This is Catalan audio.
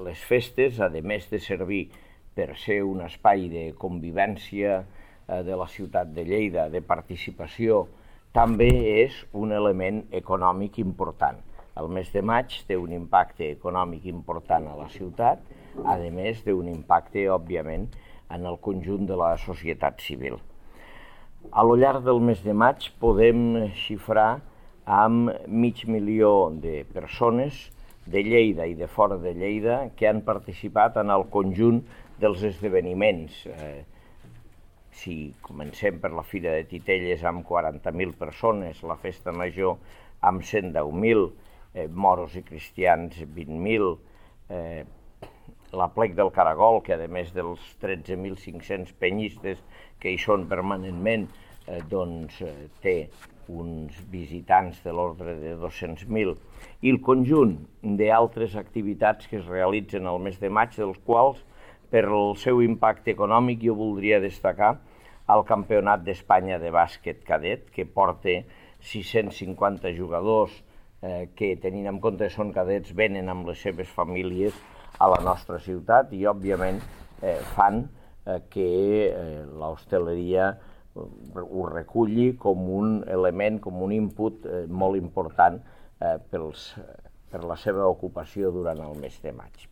les festes, a més de servir per ser un espai de convivència de la ciutat de Lleida, de participació, també és un element econòmic important. El mes de maig té un impacte econòmic important a la ciutat, a més d'un impacte, òbviament, en el conjunt de la societat civil. A lo llarg del mes de maig podem xifrar amb 500.000 de persones de Lleida i de fora de Lleida que han participat en el conjunt dels esdeveniments. Si comencem per la Fira de Titelles amb 40.000 persones, la Festa Major amb 110.000, moros i cristians 20.000, l'Aplec del Caragol, que a més dels 13.500 penyistes que hi són permanentment, té uns visitants de l'ordre de 200.000, i el conjunt d'altres activitats que es realitzen al mes de maig, dels quals, per el seu impacte econòmic, jo voldria destacar el Campionat d'Espanya de bàsquet cadet, que porta 650 jugadors que, tenint en compte que són cadets, venen amb les seves famílies a la nostra ciutat i, òbviament, fan que l'hostaleria ho reculli com un element, com un input molt important per la seva ocupació durant el mes de maig.